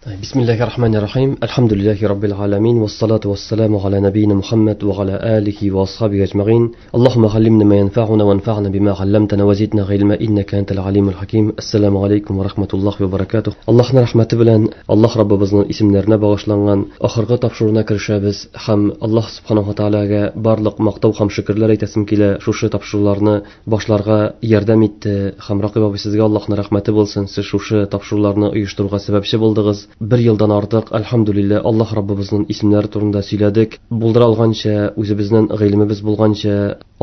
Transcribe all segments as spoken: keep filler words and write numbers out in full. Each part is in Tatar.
بسم الله الرحمن الرحيم الحمد لله رب العالمين والصلاة والسلام على نبينا محمد وعلى آله وأصحابه أجمعين اللهم علمنا ما ينفعنا وانفعنا بما علمتنا وزدنا علما إنك أنت العليم الحكيم السلام عليكم ورحمة الله وبركاته. Allohning rahmati bilan Alloh Robbimizning ismlariga bag'ishlangan oxirgi topshiruvga kirishamiz. Ham Alloh subhanahu va taologa barliq maqtov ham shukrlar aytasim kela. Shu topshiruvlarni boshlarga yordam etdi. Ham Raqib obi, sizga Allohning rahmati bo'lsin. Siz shu topshiruvlarni uyushtirishga sababchi bo'ldingiz. Bir yildan ortiq alhamdulillah Alloh Robbimizning ismlari to'g'risida сөйләдек. Булдыра алганча, үзебезнең гыйлемебез булганча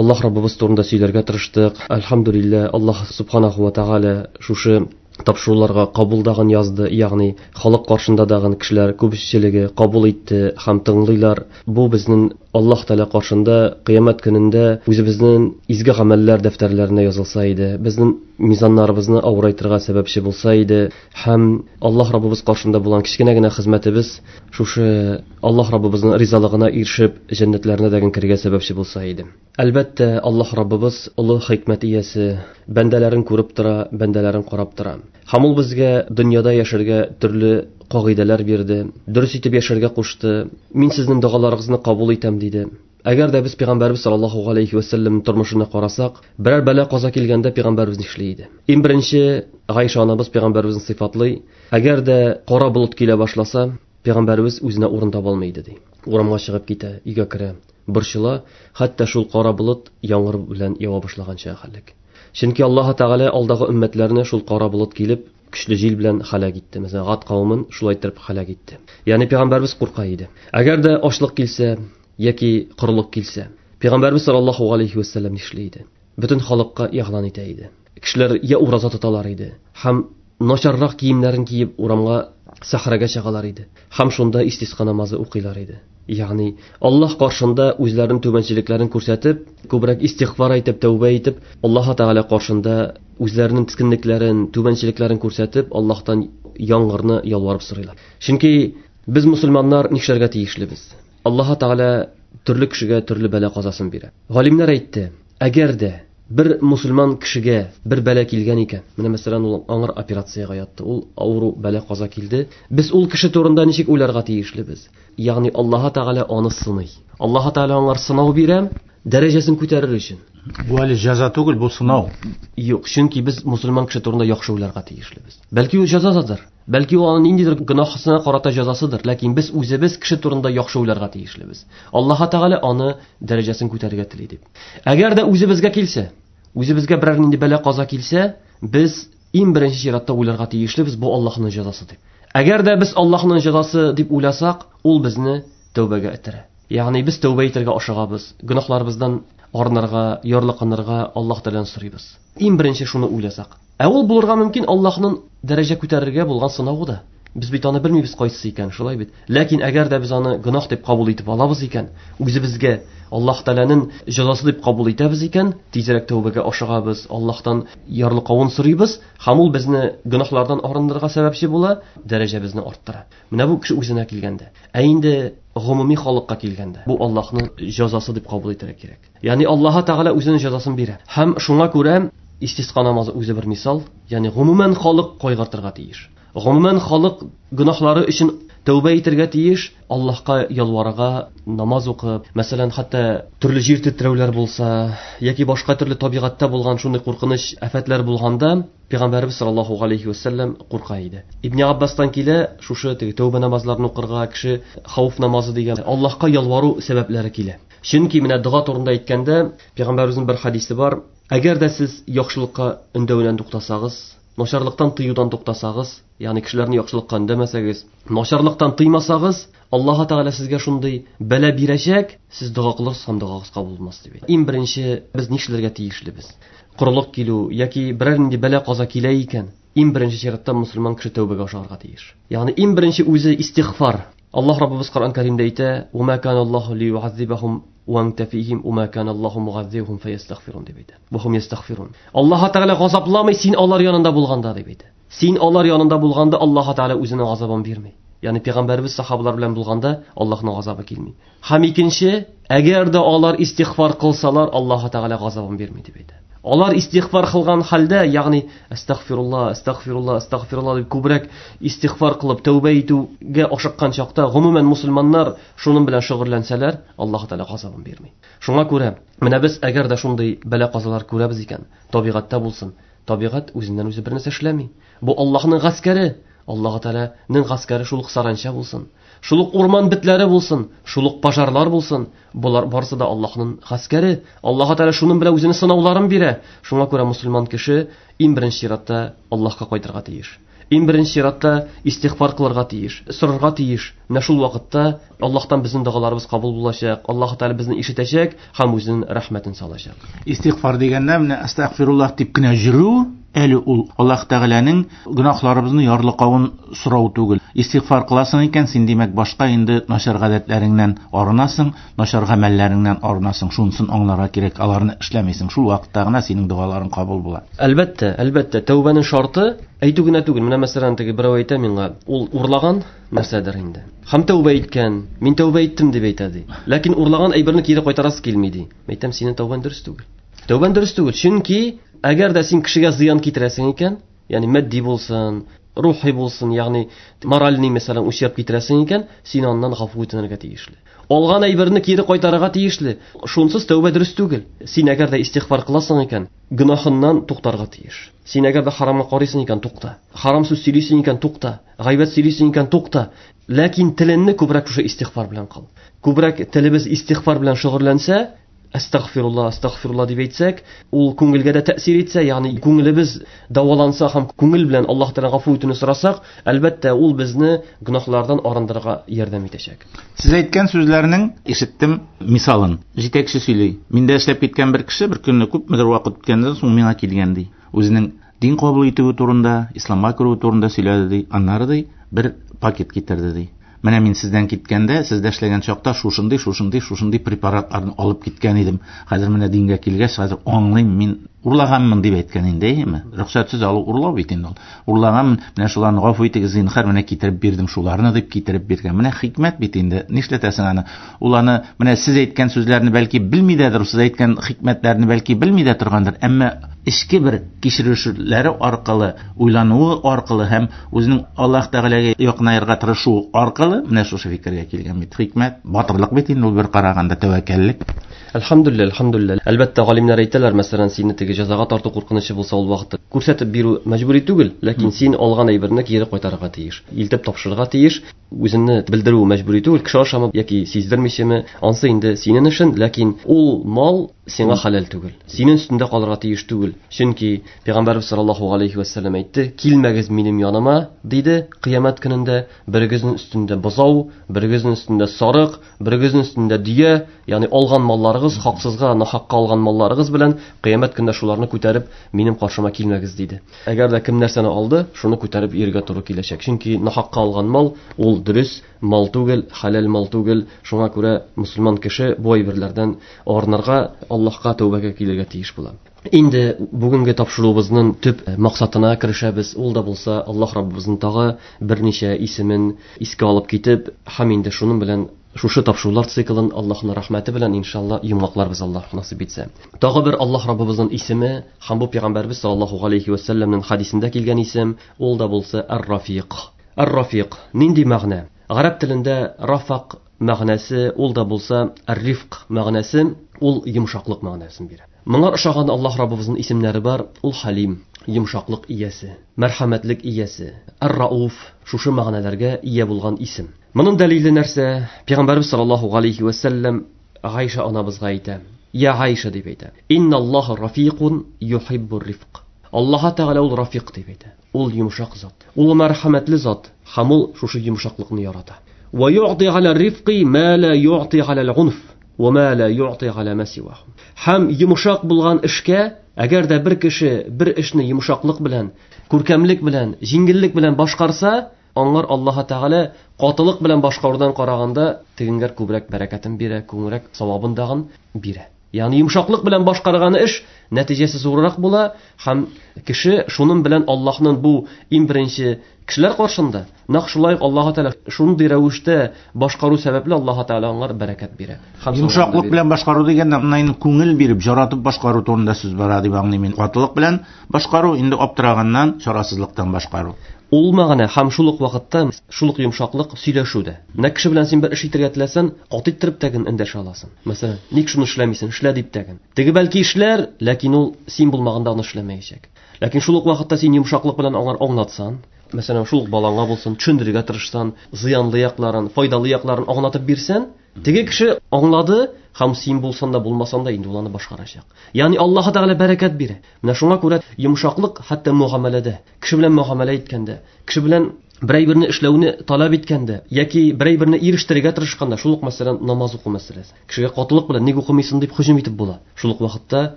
Аллаһ Раббыбыз турында сөйләргә тырыштык. Alhamdulillah Alloh subhanahu va taolo шушы тапшыруларга кабулдаган язды, ягъни халык каршында дагын кешеләр күпчелеге кабул итте һәм тыңлыйлар. Бу безнең Аллаһ Тәгалә каршында кыямәт көнендә үзебезнең изге гамәлләр дәфтәрләренә язылса иде, безнең мизаннарыбызны авырайтырга сәбәпче булса иде һәм Аллаһ Раббыбыз каршында булган кечкенә генә хезмәтебез шушы Аллаһ Раббыбызның ризалыгына ирешеп җәннәтләренә дәген керергә сәбәпче булса иде. Әлбәттә, Аллаһ Раббыбыз олы хикмәт иясе, бәндәләрен күреп тора, бәндәләрен карап тора. Һәм ул безгә дөньяда яшәргә төрле кагыйдәләр бирде, дөрес итеп яшәргә кушты. Мин сезнең догаларыгызны кабул итәм диде. Әгәр дә без пәйгамбәрбез саллаллаһу алейхи ва саллям тормышына карасак, берәр бәла каза килгәндә пәйгамбәрбез нишли иде? Иң беренче Гайша анабыз пәйгамбәрбезне сыйфатлый. Әгәр дә кара болыт килә башласа, пәйгамбәрбез үзенә урын таба алмый иде ди. Урамга чыгып китә, өйгә керә, борчыла, хәтта шул кара болыт яңгыр белән ява башлаганча хәллек. Чөнки Аллаһ Тәгалә алдагы өммәтләрне шул кара болыт килеп, көчле җил белән һәлак итте. Мәсәлән, Гад кавемен шулай итеп һәлак итте. Ягъни пәйгамбәрбез курка иде. Әгәр дә ачлык килсә яки корылык килсә, пәйгамбәрбез саллаллаһу алейхи ва саллям нишли иде? Бөтен халыкка игълан итә иде. Кешеләр я ураза тоталар иде, һәм начаррак киемнәрен киеп урамга, сахрага чыгалар иде. Һәм шунда истисқа намазы укыйлар иде. Ягъни Аллаһ каршында үзләренең түбәнчелекләрен күрсәтеп, күбрәк истигъфар әйтеп, тәүбә итеп, Аллаһ Тәгалә каршында үзләренең тискенлекләрен, түбәнчелекләрен күрсәтеп, Аллаһтан яңгырны ялварып сорыйлар. Чөнки без мусульманнар нишләргә тиешлебез? Аллаһ Тәгалә төрле кешегә төрле бәла казасын бирә. Галимнәр әйтте, әгәр дә бер мусульман кешегә бер бәла килгән икән, менә мәсәлән ул аңыр операциягә ятты, ул авыру бәла каза килде, без ул кеше турында ничек уйларга тиешлебез? Ягъни Аллаһ Тәгалә аны сыный. Аллаһ Тәгалә аңар сынау бирә, дәрәҗәсен күтәрер өчен. Бу әле җәза түгел, бу сынау. Юк, чөнки без мусульман кеше турында яхшы уйларга тиешлебез. Бәлки ул җәзадыр, бәлки ул аның ниндидер гөнаһысына карата җәзасыдыр, ләкин без үзебез кеше турында яхшы уйларга тиешлебез. Аллаһ Тәгалә аны дәрәҗәсен күтәрергә тели дип. Әгәр дә үзебезгә килсә, үзебезгә берәр нинди бәла каза килсә, без иң беренче чиратта уйларга тиешлебез, бу Аллаһның җәзасы дип. Әгәр дә без Аллаһның җәзасы дип уйласак, ул безне тәүбәгә этәрә. Ягъни без тәүбә итәргә ашыгабыз, гөнаһларыбыздан арынырга, ярлыканырга Аллаһ Тәгаләдән сорыйбыз. Иң беренче шуны уйласак. Ә ул булырга мөмкин Аллаһның дәрәҗә күтәрергә булган сынавы да. Без бит аны белмибез кайсысы икән, шулай бит. Ләкин әгәр дә без аны гөнаһ дип кабул итеп алабыз икән, үзебезгә Аллаһ Тәгаләнең җәзасы дип кабул итәбез икән, тизрәк тәүбәгә ашыгабыз, Аллаһтан ярлыкавын сорыйбыз, һәм ул безне гөнаһлардан арындырырга сәбәпче була, дәрәҗәбезне арттыра. Менә бу кеше үзенә килгәндә. Ә инде гомуми халыкка килгәндә, бу Аллаһның җәзасы дип кабул итәргә кирәк. Ягъни Аллаһ Тәгалә үзенең җәзасын бирә. Һәм шуңа күрә истисқа намазы үзе бер мисал, ягъни гомумән халык кайгыртырга тиеш. Гомумән халык гөнаһлары өчен тәүбә итәргә тиеш, Аллаһка ялварырга, намаз укып, мәсәлән, хәтта төрле җир тетрәүләр булса яки башка төрле табигатьтә булган шундый куркыныч афәтләр булганда, Пәйгамбәрбез саллаллаһу алейхи ва саллям курка иде. Ибн Аббастан килә, шушы теге тәүбә намазларын укырга кеше хауф намазы дигән Аллаһка ялвару сәбәпләре килә. Чөнки менә дога турында әйткәндә, Пәйгамбәребезнең бер хадисе бар. Әгәр дә сез яхшылыкка өндәүдән туктасагыз, начарлыктан тыюдан туктасагыз, ягъни кешеләрне яхшылыкка өндәмәсәгез, начарлыктан тыймасагыз, Аллаһ Тәгалә сезгә шундый бәла бирәчәк, сез дога кылырсыз һәм догагыз кабул булмас дип әйтә. Иң беренче без нишләргә тиешлебез? Корылык килү яки берәр нинди бәла каза килә икән, иң беренче чиратта мусульман кеше тәүбәгә ашыгарга тиеш. Ягъни иң беренче үзе истигъфар. Аллаһ Раббыбыз Коръән Кәримдә әйтә: "Ва ма кана Аллаһу лию'аззибахум ва анта фихим, ва ма кана Аллаһу мугаззибахум фаястагфирун" дип әйтә. Ва хум ястагфирун. Аллаһ Тәгалә газапламый син алар янында булганда дип әйтә. Син алар янында булганда Аллаһ Тәгалә үзенең газабын бирми. Ягъни пәйгамбәрбез сахабалар белән булганда Аллаһның газабы килми. Һәм икенче, әгәр дә алар истигъфар кылсалар, Аллаһ Тәгалә газабын бирми дип әйтә. Алар истигъфар кылган хәлдә, ягъни астагфирулла, астагфирулла, астагфирулла дип күбрәк истигъфар кылып тәүбә итүгә ашыккан чакта, гомумән мусульманнар шуның белән шөгыльләнсәләр, Аллаһ Тәгалә газабын бирми. Шуңа күрә менә без әгәр дә шундый бәла-казалар күрәбез икән, табигатьтә булсын, табигать үзеннән үзе бер нәрсә эшләми. Бу Аллаһның гаскәре. Аллаһ Тәгаләнең гаскәре шул ук саранча булсын, шул ук урман бетләре булсын, шул ук пожарлар булсын. Булар барысы да Аллаһның гаскәре. Аллаһ Тәгалә шуның белән үзенең сынауларын бирә. Шуңа күрә мусульман кеше иң беренче чиратта Аллаһка кайтырга тиеш. Иң беренче чиратта истигъфар кылырга тиеш, сорарга тиеш. Менә шул вакытта Аллаһтан безнең догаларыбыз кабул булачак, Аллаһ Тәгалә безне ишетәчәк һәм үзенең рәхмәтен салачак. Истигъфар дигәндә менә астагфируллаһ дип кенә йөрү әле ул Аллаһ Тәгаләнең гөнаһларыбызны ярлыкавын сорау түгел. Истигъфар кыласың икән, син димәк башка инде начар гадәтләреңнән арынасың, начар гамәлләреңнән арынасың. Шунысын аңларга кирәк, аларны эшләмисең. Шул вакытта гына синең догаларың кабул була. Әлбәттә, әлбәттә, тәүбәнең шарты әйтү генә түгел. Менә мәсәлән, теге берәү әйтә миңа, ул урлаган нәрсәдер инде. Һәм тәүбә иткән, мин тәүбә иттем дип әйтә ди. Ләкин урлаган әйберне кире кайтарасы килми ди. Әйтәм, синең тәүбәң дөрес түгел. Тәүбәң дөрес түгел, чөнки әгәр дә син кешегә зыян китерәсең икән, ягъни матди булсын, рухи булсын, ягъни моральный мәсәлән ущерб китерәсең икән, син аннан гафу үтенергә тиешле. Алган әйберне кире кайтарырга тиешле. Шунсыз тәүбә дөрес түгел. Син әгәр дә истигъфар кыласың икән, гөнаһыннан туктарга тиеш. Син әгәр дә харамга карыйсың икән, тукта. Харам сүз сөйлисең икән, тукта. Гайбәт сөйлисең икән, тукта. Ләкин телеңне күбрәк шушы истигъфар белән кыл. Күбрәк телебез истигъфар белән шөгыльләнсә, астагфирулла, астагфирулла дип әйтсәк, ул күңелгә дә тәэсир итсә, ягъни күңелебез дәваланса һәм күңел белән Аллаһ Тәгалә гафу итүне сорасак, әлбәттә, ул безне гөнаһлардан арындырырга ярдәм итәчәк. Сез әйткән сүзләрнең ишеттем мисалын. Җитәкче сөйли. Миндә эшләп киткән бер кеше бер көнне күпмедер вакыт үткәннән соң миңа килгән ди. Үзенең дин кабул итүе турында, исламга керүе турында сөйләде ди. Аннары ди бер пакет китерде ди. Менә мин сездән киткәндә, сездә эшләгән чакта шушындый, шушындый, шушындый препаратларны алып киткән идем. Хәзер менә дингә килгәч, хәзер аңлыйм, мин урлаганмын дип әйткән инде, әйеме? Рөхсәтсез алу урлау бит инде ул. Урлаганмын, менә шуларны гафу итегез, зинһар, менә китереп бирдем шуларны дип китереп биргән. Менә хикмәт бит инде. Нишләтәсең аны? Ул аны менә сез әйткән сүзләрне бәлки белми дәдер, сез әйткән хикмәтләрне бәлки белми дә торгандыр, әмма эчке бер кичерешләре аркылы, уйлануы аркылы һәм үзенең Аллаһ Тәгаләгә якынаерга тырышуы аркылы менә шушы фикергә килгән бит. Хикмәт, батырлык бит инде ул бер караганда тәвәккәллек. Әлхәмдүлилләһ, әлхәмдүлилләһ. Әлбәттә, галимнәр әйтәләр, мәсәлән, сине теге җәзага тарту куркынычы булса ул вакытта күрсәтеп бирү мәҗбүри түгел, ләкин син алган әйберне кире кайтарырга тиеш, илтеп тапшырырга тиеш. Үзеңне белдерү мәҗбүри түгел, кеше ашамы яки сиздермичеме, ансы инде синең эшең, ләкин ул мал сиңа хәләл түгел. Синең өстендә калырга тиеш түгел. Чөнки Пәйгамбәрбез саллаллаһу алейхи ва саллям әйтте, килмәгез минем яныма, диде, кыямәт көнендә берегезнең өстендә бозау, берегезнең өстендә сарык, берегезнең өстендә дөя, ягъни алган малларыгыз, хаксызга, нахакка алган малларыгыз белән кыямәт көнендә шуларны күтәреп минем каршыма килмәгез, диде. Әгәр дә кем нәрсәне алды, шуны күтәреп йөрергә туры киләчәк. Чөнки нахакка алган мал ул дөрес мал түгел, хәләл мал түгел. Шуңа күрә мусульман кеше бу әйберләрдән арынырга, Аллаһка тәүбәгә килергә тиеш була. Инде бүгенге тапшыруыбызның төп максатына керешәбез. Ул да булса Аллаһ Раббыбызның тагы берничә исемен искә алып китеп, һәм инде шуның белән шушы тапшырулар циклын Аллаһның рәхмәте белән иншалла йомгакларбыз, Аллаһ насыйп итсә. Тагы бер Аллаһ Раббыбызның исеме һәм бу Пәйгамбәрбез саллаллаһу алейхи ва сәлләмнең хадисендә килгән исем, ул да булса Ар-Рафиq. Ар-Рафиq нинди мәгънә? Гарәп телендә рафак мәгънәсе, ул да булса ар-рифк мәгънәсе, ул йомшаклык мәгънәсен бирә. Моңа ошаган Аллаһ Раббыбызның исемнәре бар, ул Халим, йомшаклык иясе, мәрхәмәтлек иясе, Ар-Рауф, шушы мәгънәләргә ия булган исем. Моның дәлиле нәрсә? Пәйгамбәрбез саллаллаһу алейхи ва сәлләм Гайша анабызга әйтә. Я Гайша дип әйтә. Инналлаһа рафикун юхиббур рифк. Аллаһ Тәгалә ул рафик дип әйтә. Ул йомшак зат, ул мәрхәмәтле зат, һәм ул шушы йомшаклыкны ярата. Ва юъти аля рифқи ма ла юъти аля ал-унф ва ма ла юъти аля ма сиваху. Һәм йомшак булган эшкә, әгәр дә бер кеше бер эшне йомшаклык белән, күркәмлек белән, җиңеллек белән башкарса, аңар Аллаһ Тәгалә катылык белән башкарудан караганда тегенгә күбрәк бәрәкәтен бирә, күбрәк савабын дагын бирә. Ягъни йомшаклык белән башкарган эш нәтиҗәсе зуррак була һәм кеше шуның белән Аллаһның бу иң беренче кешеләр каршында нәкъ шулай Аллаһ Тәгалә шундый рәвештә башкару сәбәпле Аллаһ Тәгалә аңар бәрәкәт бирә. Йомшаклык белән башкару дигәндә менә инде күңел биреп, яратып башкару турында сүз бара дип аңлыйм мин. Катылык белән башкару инде аптыраганнан, чарасызлыктан башкару. Ул мәгънә һәм шул ук вакытта шул ук йомшаклык сөйләшүдә. Менә кеше белән син бер эш итәргә теләсәң, каты иттереп тәген эндәшә аласың. Мәсәлән, ник шуны эшләмисең, эшлә дип тәген. Теге бәлки эшләр, ләкин ул син булмаганда аны эшләмәячәк. Ләкин шул ук вакытта син йомшаклык белән аңар аңлатсаң, мәсәлән, шул ук балаңа булсын, төшендерергә тырышсаң, зыянлы якларын, файдалы якларын аңлатып бирсәң, теге кеше аңлады һәм син булсаң да булмасаң да инде ул аны башкарачак. Ягъни Аллаһ Тәгалә бәрәкәт бирә. Менә шуңа күрә йомшаклык хәтта мөгамәләдә, кеше белән мөгамәлә иткәндә, кеше белән берәй берне эшләүне таләп иткәндә яки берәй берне ирештерергә тырышканда, шул ук мәсәлән намаз уку мәсьәләсе. Кешегә катылык белән ник укымыйсың дип һөҗүм итеп була. Шул ук вакытта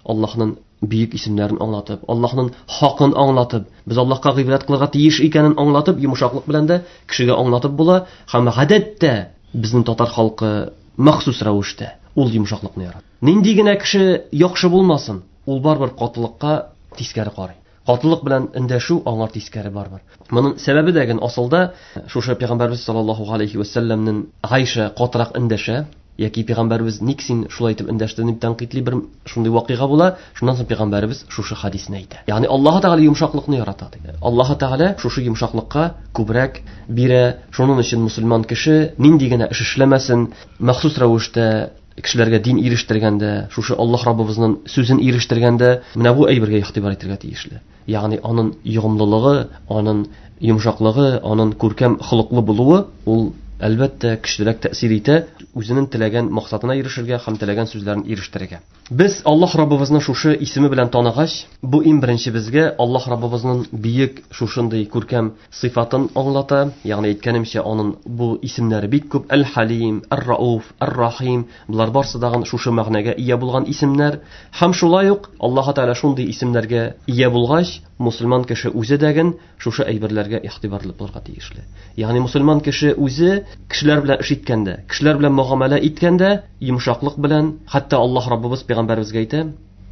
Аллаһның бөек исемнәрен аңлатып, Аллаһның хакын аңлатып, без Аллаһка гыйбадәт кылырга тиеш икәнен аңлатып, йомшаклык белән дә кешегә аңлатып була. Һәм гадәттә безнең татар халкы махсус рәвештә ул йомшаклыкны ярата. Нинди генә кеше яхшы булмасын, ул барыбер катылыкка тискәре карый. Катылык белән эндәшү аңар тискәре барыбер. Моның сәбәбе дә генә асылда шушы пәйгамбәрбез саллаллаһу алейхи ва сәлләмнең Гайша катырак эндәшә, яки пәйгамбәрбез ник син шулай итеп эндәштең дип тәнкыйтьли бер шундый вакыйга була. Шуннан соң пәйгамбәрбез шушы хадисне әйтә. Ягъни Аллаһ Тәгалә йомшаклыкны ярата ди. Аллаһ Тәгалә шушы йомшаклыкка күбрәк бирә. Шуның өчен мусульман кеше нинди генә эш эшләмәсен, махсус рәвештә кешеләргә дин ирештергәндә, шушы Аллаһ Раббыбызның сүзен ирештергәндә, менә бу әйбергә игътибар итәргә тиешле. Ягъни аның ягымлылыгы, аның йомшаклыгы, аның күркәм холыклы булуы ул әлбәттә көчлерәк тәэсир итә, үзенең теләгән максатына ирешергә һәм теләгән сүзләрен ирештерергә. Без Аллаһ Раббыбызны шушы исеме белән таныгач, бу иң беренче безгә Аллаһ Раббыбызның бөек шушындый күркәм сыйфатын аңлата. Ягъни әйткәнемчә, аның бу исемнәре бик күп: Әл-Халим, Әр-Рауф, Әр-Рахим, булар барсы дагы шушы мәгънәгә ия булган исемнәр. Һәм шулай ук Аллаһ Тәгалә шундый исемнәргә ия булгач, мусульман кеше үзе дәген шушы әйберләргә игътибарлы булырга тиешле. Ягъни мусульман кеше үзе кешеләр белән эш иткәндә, кешеләр белән мөгамәлә иткәндә, йомшаклык белән, хәтта Аллаһ Раббыбыз пәйгамбәребезгә әйтә: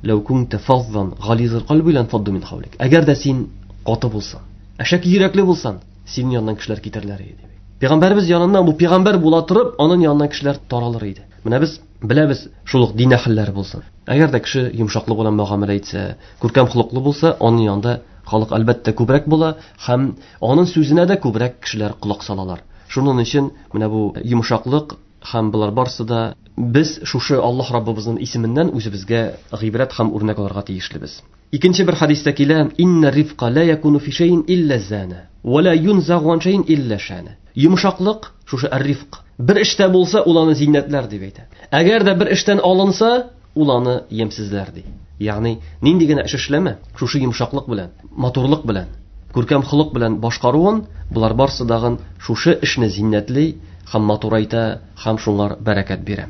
"Лау кунта фаззан гализал калби лан фадду мин хавлик." Әгәр дә син каты булсаң, әшәке йөрәкле булсаң, синең яныннан кешеләр китәрләр иде. Пәйгамбәребез яныннан бу пәйгамбәр була торып, аның яныннан кешеләр таралыр иде. Менә без беләбез, шул ук дин әһелләре булсын. Әгәр дә кеше йомшаклык белән мөгамәлә итсә, күркәм холыклы булса, аның янында халык әлбәттә күбрәк була һәм аның сүзенә дә күбрәк кешеләр колак салалар. Шуның өчен менә бу йомшаклык һәм булар барсы да без шушы Аллаһ Раббыбызның исеменнән үзебезгә гыйбрәт һәм үрнәк алырга тиешлебез. Икенче бер хадистә килә: "Инна рифка ла якуну фи шәйин илля зана, ва ла юнзагу ан шәйин илля шана." Йомшаклык, шушы ар-рифк, бер эштә булса, ул аны зиннәтләр дип әйтә. Әгәр дә бер эштән алынса, ул аны ямьсезләр ди. Ягъни нинди генә эш эшләмә, шушы йомшаклык белән, матурлык белән, күркәм холык белән башкаруын, булар барсы дагын шушы эшне зиннәтли һәм матурайта һәм шуңар бәрәкәт бирә.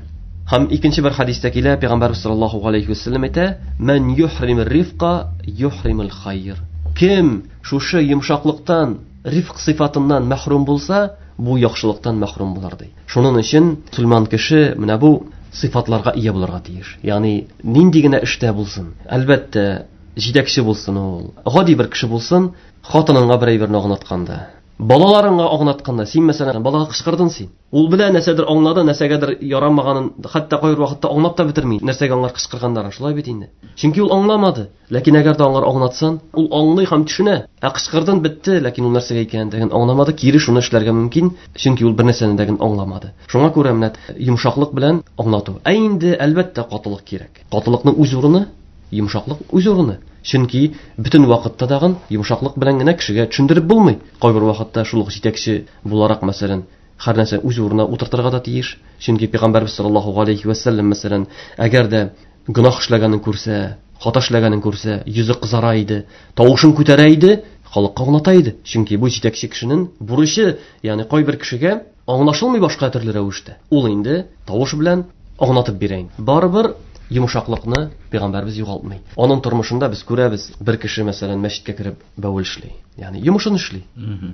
Һәм икенче бер хадистә килә, Пәйгамбәрбез саллаллаһу алейхи ва сәлләм әйтә: "Ман юхримир рифка юхримул хайр." Кем шушы йомшаклыктан, рифк сыйфатыннан мәхрүм булса, бу яхшылыктан мәхрүм булыр ди. Шуның өчен мусульман кеше менә бу сыйфатларга ия булырга тиеш. Ягъни нинди генә эштә булсын, әлбәттә, җитәкче булсын ул, гади бер кеше булсын, хатыныңа бер әйберне аңлатканда, балаларыңа аңлатканда, син мәсәлән балага кычкырдың син. Ул белә нәрсәдер аңлады, нәрсәгәдер ярамаганын, хәтта кайбер вакытта аңлап та бетерми, нәрсәгә аңлар кычкырганнарын, шулай бит инде. Чөнки ул аңламады. Ләкин әгәр дә аңлар аңлатсан, ул аңлый һәм төшенә. Ә кычкырдың бетте, ләкин ул нәрсәгә икәнен дә аңламады, кире шуны эшләргә мөмкин, чөнки ул бер нәрсәне дә аңламады. Шуңа күрә менә йомшаклык белән аңлату. Ә инде әлбәттә катылык кирәк. Катылыкның үз урыны, йомшаклык үз урыны. Чөнки бөтен вакытта дагын йомшаклык белән генә кешегә төшендереп булмый. Кайбер вакытта шул ук җитәкче буларак, мәсәлән, һәр нәрсә үз урынына утыртырга да тиеш. Чөнки Пәйгамбәрбез саллаллаһу алейхи ва сәлләм, мәсәлән, әгәр дә гөнаһ эшләгәнен күрсә, хата эшләгәнен күрсә, йөзе кызара иде, тавышын күтәрә иде, халыкка аңлата иде. Чөнки бу җитәкче кешенең бурычы, ягъни кайбер кешегә аңлашылмый башка төрле рәвештә. Ул инде тавыш белән аңлатып бирә инде. Барыбер йомшаклыкны Пәйгамбәрбез югалтмый. Аның тормышында без күрәбез, бер кеше, мәсәлән, мәчеткә кереп бәвел эшли. Ягъни йомышын эшли.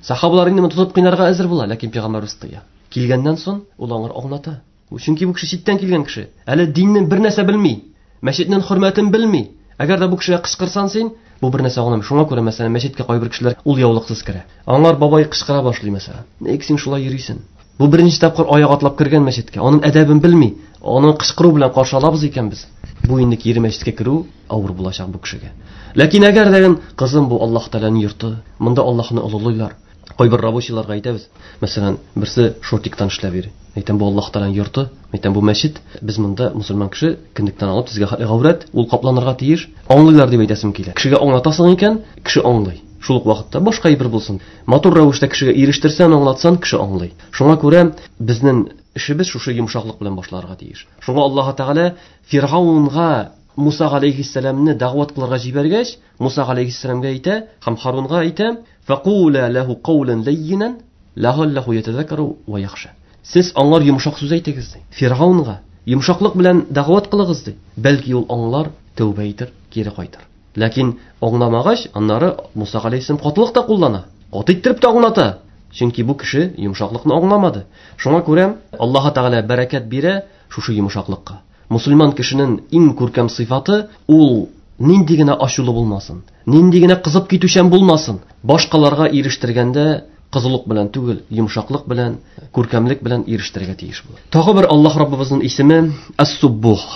Сахабалар инде моны тотып кыйнарга әзер була, ләкин Пәйгамбәрбез тыя. Килгәннән соң ул аңар аңлата. Чөнки бу кеше читтән килгән кеше. Әле диннең бер нәрсә белми. Мәчетнең хөрмәтен белми. Әгәр дә бу кешегә кычкырсаң син, бу бер нәрсә аңламый. Шуңа күрә, мәсәлән, мәчеткә кайбер кешеләр ул яулыксыз керә. Аңар бабай кычкыра башлый, мәсәлән. Ник син шулай йөрисең? Бу беренче тапкыр аяк атлап кергән мәчеткә. Аның әдәбен белми. Аны кычкыру белән каршы алабыз икән без. Бу инде кире мәчеткә керү авыр булачак бу кешегә. Ләкин әгәр дә кызым, бу Аллаһ Тәгаләнең йорты, монда Аллаһны олылыйлар. Кайбер рабочийларга әйтәбез. Мәсәлән, берсе шортиктан эшләп йөри. Әйтәм, бу Аллаһ Тәгаләнең йорты, әйтәм, бу мәчет. Без монда мусульман кеше кендектән алып тезгә хәтле гаурәт, ул капланырга тиеш. Аңлыйлар дип әйтәсем килә. Кешегә аңлатасың икән, кеше аңлый. Шул ук вакытта башка әйбер булсын. Матур рәвештә кешегә ирештерсәң, аңлатсаң, кеше аңлый. Шуңа күрә безнең эшебез шушы йомшаклык белән башларга тиеш. Шуңа Аллаһ Тәгалә Фиргавнга Муса алейһиссәламны дәгъват кылырга җибәргәч, Муса алейһиссәламгә әйтә һәм Харунга әйтә: "Факула лаху каулян лаййинан лa'аллаху ятазаккару ва яхша." Сез аңар йомшак сүз әйтегез ди. Фиргавнга йомшаклык белән дәгъват кылыгыз ди. Бәлки ул аңлар, тәүбә итер, кире кайтыр. Ләкин аңламагач, аннары Муса алейһиссәлам катылык та куллана. Каты иттереп тә аңлата. Чөнки бу кеше йомшаклыкны аңламады. Шуңа күрә Аллаһ Тәгалә бәрәкәт бирә шушы йомшаклыкка. Мусульман кешенең иң күркәм сыйфаты ул нинди генә ачулы булмасын, нинди генә кызып китүчән булмасын, башкаларга ирештергәндә кызулык белән түгел, йомшаклык белән, күркәмлек белән ирештерергә тиеш була. Тагы бер Аллаһ Раббыбызның исеме Ас-Суббух.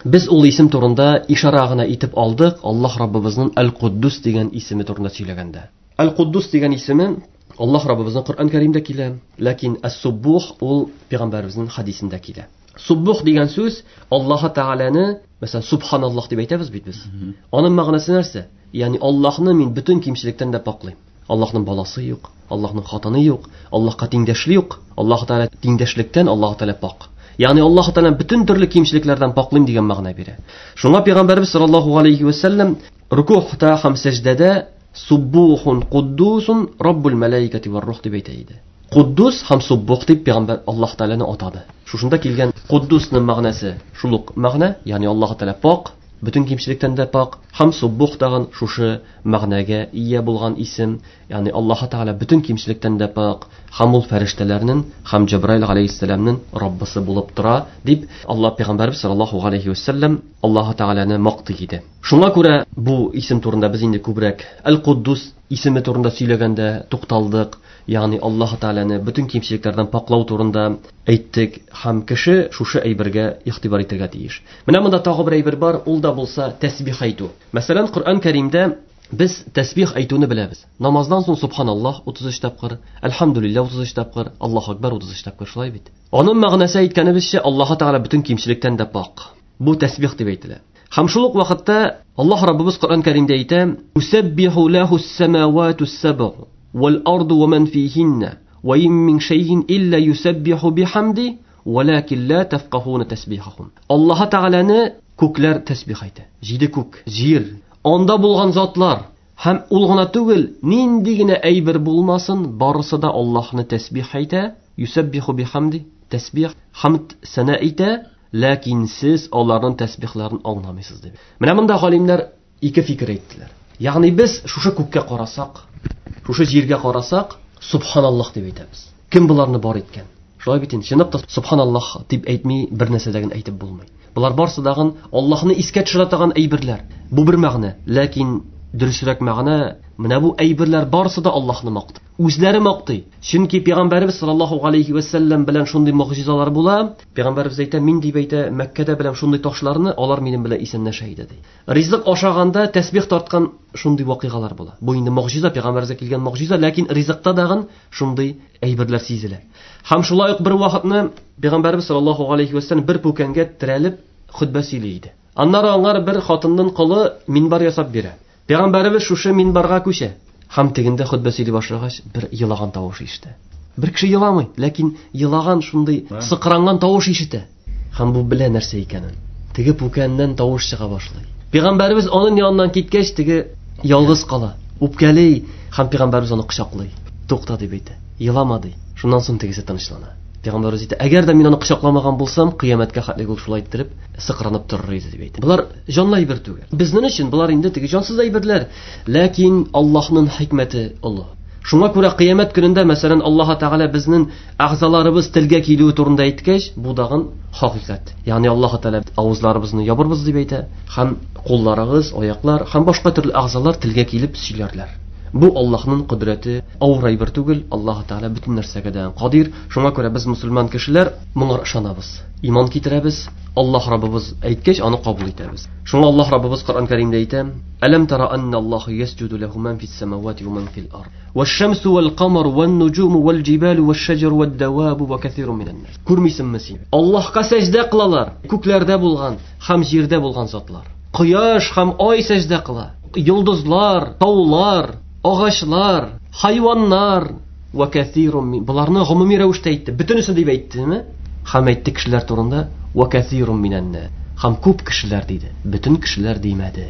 Без ул исем турында ишара гына итеп алдык, Аллаһ Раббыбызның Әл-Куддус дигән исеме турында сөйләгәндә. Әл-Куддус дигән исеме Аллаһ Раббыбызның Коръән Кәримдә килә, ләкин Ас-Суббух ул пәйгамбәребезнең хадисендә килә. Суббух дигән сүз Аллаһ Тәгаләне, мәсәлән, субханаллаһ дип әйтәбез бит без. Аның мәгънәсе нәрсә? Ягъни Аллаһны мин бөтен кимчелектән дә паклыйм. Аллаһның баласы юк, Аллаһның хатыны юк, Аллаһка тиңдәшле юк. Аллаһ Тәгалә тиңдәшлектән Аллаһ Тәгалә пак. Ягъни Аллаһ Тәгалә бөтен төрле кимчелекләрдән паклыйм дигән мәгънә бирә. Шуңа пәйгамбәрбез саллаллаһу алейхи ва саллям рукухта һәм сәҗдәдә суббухун куддусун раббул малаикати вар рух дип әйтә иде. Куддус һәм суббух дип пәйгамбәр Аллаһ Тәгаләне атады. Шушында килгән Куддусның мәгънәсе шул ук мәгънә, ягъни Аллаһ Тәгалә пак, бөтен кимчелектән дә пак, һәм суббух тагын шушы мәгънәгә ия булган исем, ягъни Аллаһ Тәгалә бөтен кимчелектән дә пак, һәм ул фәрештәләрнең һәм Җабраил алейһиссәламнең Раббысы булып тора дип Аллаһ пәйгамбәрбез саллаллаһу алейһи ва саллям Аллаһ Тәгаләне мактый иде. Шуңа күрә бу исем турында без инде күбрәк Әл-Куддус исеме турында сөйләгәндә тукталдык. Ягъни Аллаһ Тәгаләне бөтен кимчелекләрдән паклау турында әйттек һәм кеше шушы әйбергә игътибар итәргә тиеш. Менә монда тагы бер әйбер бар, ул да булса тәсбих әйтү. Мәсәлән, Коръән Кәримдә без тәсбих әйтүне беләбез. Намаздан соң субханаллаһ утыз өч тапкыр, әлхәмдүлилләһ утыз өч тапкыр, Аллаһу акбар утыз өч тапкыр, шулай бит. Аның мәгънәсе әйткәнебезчә, Аллаһ Тәгалә бөтен кимчелектән дә пак. Бу тәсбих дип әйтелә. Һәм шул ук вакытта Аллаһ Раббыбыз Коръән Кәримдә әйтә: "Юсаббиху лахус-самаватус-саб'у вал-арду ва ман фихинна ва ин мин шайин илля юсаббиху бихамди валакин ла тафкахуна тасбихахум." Аллаһ Тәгаләне күкләр тәсбих әйтә. Җиде күк, җир, анда булган затлар һәм ул гына түгел, нинди генә әйбер булмасын, барысы да Аллаһны тәсбих әйтә. Юсаббиху бихамди, тәсбих, хамд сана әйтә, ләкин сез аларның тәсбихләрен аңламыйсыз дип. Менә монда галимнәр ике фикер әйттеләр. Ягъни без шушы күккә карасак, шушы җиргә карасак, субханаллаһ дип әйтәбез. Кем буларны бар иткән? Шулай бит инде, чынлап та субханаллаһ дип әйтми бер нәрсә дә әйтеп булмый. Булар барсы дагын Аллаһны искә төшерә торган әйберләр. Бу бер мәгънә, ләкин дөресрәк мәгънә, менә бу әйберләр барсы да Аллаһны мактый. Үзләре мактый. Чөнки пәйгамбәребез саллаллаһу алейхи ва саллям белән шундый могҗизалар була. Пәйгамбәребез әйтә, мин дип әйтә, Мәккәдә белән шундый ташларны, алар минем белән исәнләшә иде ди. Ризык ашаганда тәсбих тарткан шундый вакыйгалар була. Бу инде могҗиза, пәйгамбәребезгә килгән могҗиза, ләкин ризыкта дагын шундый әйберләр сизелә. Һәм шулай ук бер вакытны пәйгамбәребез саллаллаһу алейхи ва саллям бер пүкәнгә терәлеп хөтбә сөйли иде. Аннары аңар бер хатынның колы минбар ясап бирә. Пәйгамбәребез шушы минбарга күчә. Һәм тегендә хөтбә сөйли башлагач, бер елаган тавыш ишетә. Бер кеше еламый, ләкин елаган шундый сыкранган тавыш ишетә. Һәм бу белә нәрсә икәнен. Теге пүкәннән тавыш чыга башлый. Пәйгамбәребез аның яныннан киткәч, теге ялгыз кала, үпкәли, һәм пәйгамбәребез аны кочаклый. Тукта дип әйтә. Елама ди. Шуннан соң тегесе тынычлана. Пәйгамбәребез әйтә, әгәр дә мин аны кочакламаган булсам, кыямәткә хәтле ул шулай иттереп сыкранып торыр иде дип әйтә. Булар җанлы әйбер түгел. Безнең өчен булар инде теге җансыз әйберләр, ләкин Аллаһның хикмәте олы. Шуңа күрә кыямәт көнендә, мәсәлән, Аллаһ Тәгалә безнең әгъзаларыбыз телгә килүе турында әйткәч, бу дагын хакыйкать. Ягъни Аллаһ Тәгалә авызларыбызны ябырбыз дип әйтә, һәм кулларыгыз, аяклар һәм башка төрле әгъзалар телгә килеп сөйләрләр. Бу Аллаһның кодрәте, авыр әйбер түгел, Аллаһ Тәгалә бөтен нәрсәгә дә кадир. Шуңа күрә без мусульман кешеләр моңа ышанабыз, иман китерәбез. Аллаһ Раббыбыз әйткәч, аны кабул итәбез. Шуңа Аллаһ Раббыбыз Коръән Кәримдә әйтә: "Әләм тара анна Аллаһ ясҗуду ләһу ман фис самавати ва ман фил ард, ваш-шамсу вал-камару ван-нуҗуму вал-җибалу ваш-шаҗару вад-давабу ва кәсирун минән-нас." Күрмисеңме син? Аллаһка сәҗдә кылалар күкләрдә булган һәм җирдә булган затлар. Кояш һәм ай сәҗдә кыла. Йолдызлар, таулар, агачлар, хайваннар ва кәсирун мин. Буларны гомуми рәвештә әйтте. Бөтенесе дип әйттеме? Һәм әйтте кешеләр турында ва кәсирун минән-нас. Һәм күп кешеләр диде. Бөтен кешеләр димәде.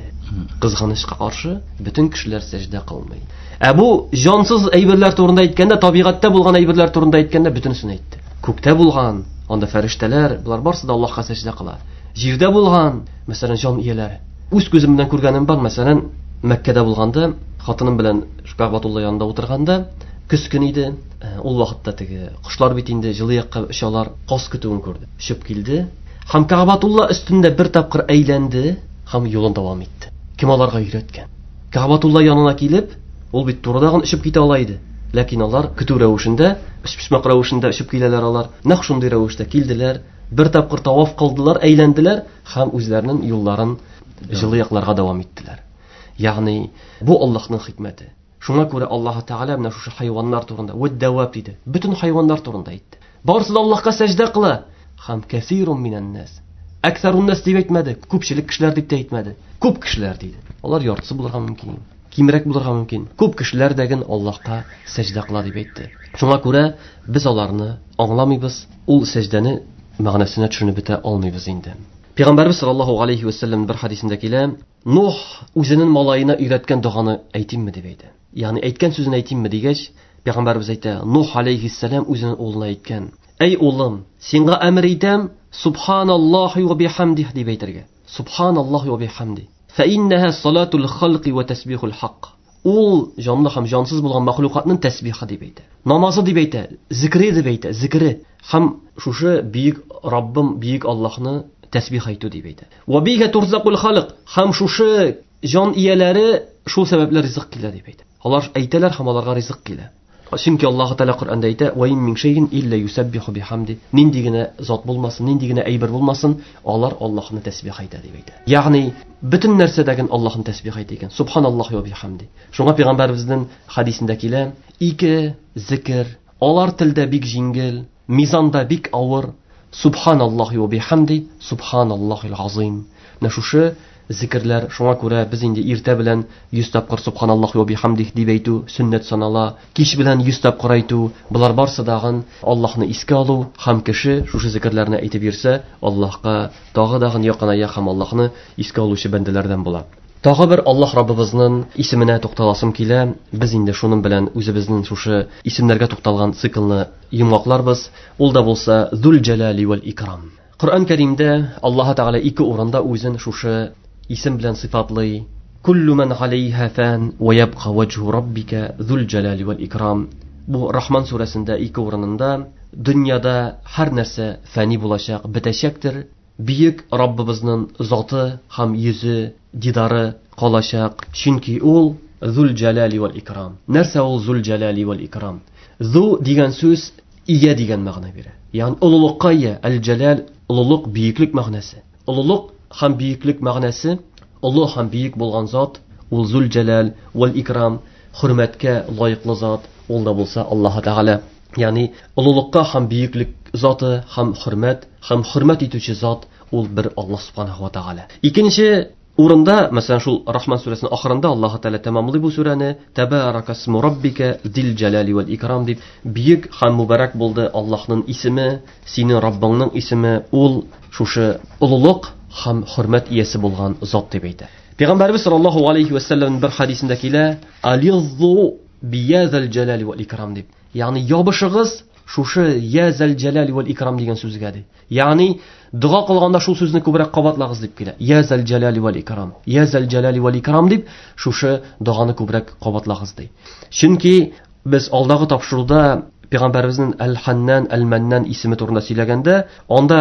Кызганычка каршы, бөтен кешеләр сәҗдә кылмый. Ә бу җансыз әйберләр турында әйткәндә, табигатьтә булган әйберләр турында әйткәндә бөтенесен әйтте. Күктә булган, анда фәрештәләр, булар барсы да Аллаһка сәҗдә кыла. Җирдә булган, мәсәлән, җан ияләре. Үз күзем белән күргәнем бар, мәсәлән, Мәккәдә булганда, хатыным белән Кәгъбәтулла янында утырганда, көз көн иде. Ул вакытта теге кошлар бит инде җылы якка очалар, каз көтүен күрде. Очып килде. Һәм Кәгъбәтулла өстендә бер тапкыр әйләнде һәм юлын дәвам итте. Кем аларга өйрәткән? Кәгъбәтулла янына килеп, ул бит турыдагын очып китә ала иде. Ләкин алар көтү рәвешендә, өчпочмак рәвешендә очып киләләр алар. Нәкъ шундый рәвештә килделәр, бер тапкыр таваф кылдылар, әйләнделәр һәм үзләренең юлларын җылы якларга дәвам иттеләр. Ягъни бу Аллаһның хикмәте. Шуңа күрә Аллаһ Тәгалә менә шушы хайваннар турында вәд-дәваб диде. Бөтен хайваннар турында әйтте. Барысы да Аллаһка сәҗдә кыла. Һәм кәсирун минән-нас. Әксәрун-нас дип әйтмәде, күпчелек кешеләр дип тә әйтмәде. Күп кешеләр диде. Алар яртысы булырга мөмкин, кимрәк булырга мөмкин. Күп кешеләр дәген Аллаһка сәҗдә кыла дип әйтте. Шуңа күрә без аларны аңламыйбыз, ул сәҗдәне мәгънәсенә төшенеп бетә алмыйбыз инде. Пәйгамбәрбез саллаллаһу алейхи ва саллям бер хадисендә килә, Нух үзенең малаена өйрәткән доганы әйтимме дип әйтә. Ягъни әйткән сүзен әйтимме дигәч, Пәйгамбәрбез әйтә, Нух алейхиссалам үзенең улына әйткән: "Әй улым, сиңа әмер итәм, субханаллаһи ва бихамдих дип әйтергә. Субханаллаһи ва бихамди. Фа иннаһа салатул халқи ва тасбихул хак." Ул җанлы һәм җансыз булган мәхлукатның тәсбихы дип әйтә. Намазы дип әйтә, зикре дип әйтә, зикре. Һәм шушы бөек Раббым, бөек Аллаһны тәсбих әйтү дип әйтә. Ва бига турзакул халык. Һәм шушы җан ияләре шул сәбәпле ризык килә дип әйтә. Алар әйтәләр һәм аларга ризык килә. Чөнки Аллаһ Тәгалә Коръәндә әйтә: "Ва ин мин шәйин илля юсаббиху бихамди." Нинди генә зат булмасын, нинди генә әйбер булмасын, алар Аллаһны тәсбих әйтә дип әйтә. Ягъни бөтен нәрсәдәген Аллаһны тәсбих әйтә икән. Субханаллаһи ва бихамди. Шуңа пәйгамбәребезнең хадисендә килә: ике зикр, алар телдә бик җиңел, мизанда бик авыр. Субханаллаһи ва бихамди, субханаллаһил азим. Менә шушы зикрләр, шуңа күрә без инде иртә белән йөз тапкыр субханаллаһи ва бихамдих дип әйтү сөннәт санала, кич белән йөз тапкыр әйтү, болар барсы дагын Аллаһны искә алу һәм кеше шушы зикрләрне әйтеп йөрсә, Аллаһка тагы дагын якыная һәм Аллаһны искә алучы бәндәләрдән була. Тагы бер Аллаһ Раббыбызның исеменә тукталасым килә. Без инде шуның белән үзебезнең шушы исемнәргә тукталган циклны йомгакларбыз. Ул да булса Зул Җәлали вәл Икрам. Коръән Кәримдә Аллаһ Тәгалә ике урында үзен шушы исем белән сыйфатлый. Куллу ман алейха фан ва ябка ваҗһу раббика зул җәлали вәл икрам. Бу Рахман сүрәсендә ике урынында дөньяда һәр нәрсә фани булачак, бетәчәктер. Бөек Раббыбызның заты һәм йөзе, дидары калачак. Чөнки ул Зул Җәлали вәл Икрам. Нәрсә ул Зул Җәлали вәл Икрам? Зу дигән сүз ия дигән мәгънә бирә. Ягъни олылыкка ия, әл-Җәлал олылык, бөеклек мәгънәсе. Олылык һәм бөеклек мәгънәсе, олы һәм бөек булган зат, ул Зул Җәлал вәл Икрам, хөрмәткә лаеклы зат, ул да булса Аллаһ Тәгалә. Ягъни олылыкка һәм бөеклек заты һәм хөрмәт, һәм хөрмәт итүче зат ул бер Аллаһ субханаһу ва тәгалә. Икенче урында, мәсәлән, шул Рахман сүрәсенең ахырында Аллаһ Тәгалә тәмамлый бу сүрәне: Табаракасму раббика зил җәлали вәл икрам дип, бөек һәм мубарак булды Аллаһның исеме, синең Раббыңның исеме, ул шушы олылык һәм хөрмәт иясе булган зат дип әйтә. Пәйгамбәрбез саллаллаһу алейхи ва саллям бер хадисендә килә: Ализзу биязал җәлали вәл икрам дип. Ягъни ябышыгыз шушы язал җәлали вәл икрам дигән сүзгә ди. Ягъни дога кылганда шул сүзне күбрәк кабатлагыз дип килә. Язал җәлали вәл икрам, язал җәлали вәл икрам дип шушы доганы күбрәк кабатлагыз ди. Чөнки Без алдагы тапшыруда Пәйгамбәребезнең Әл-Ханнан, Әл-Маннан исеме турында сөйләгәндә, анда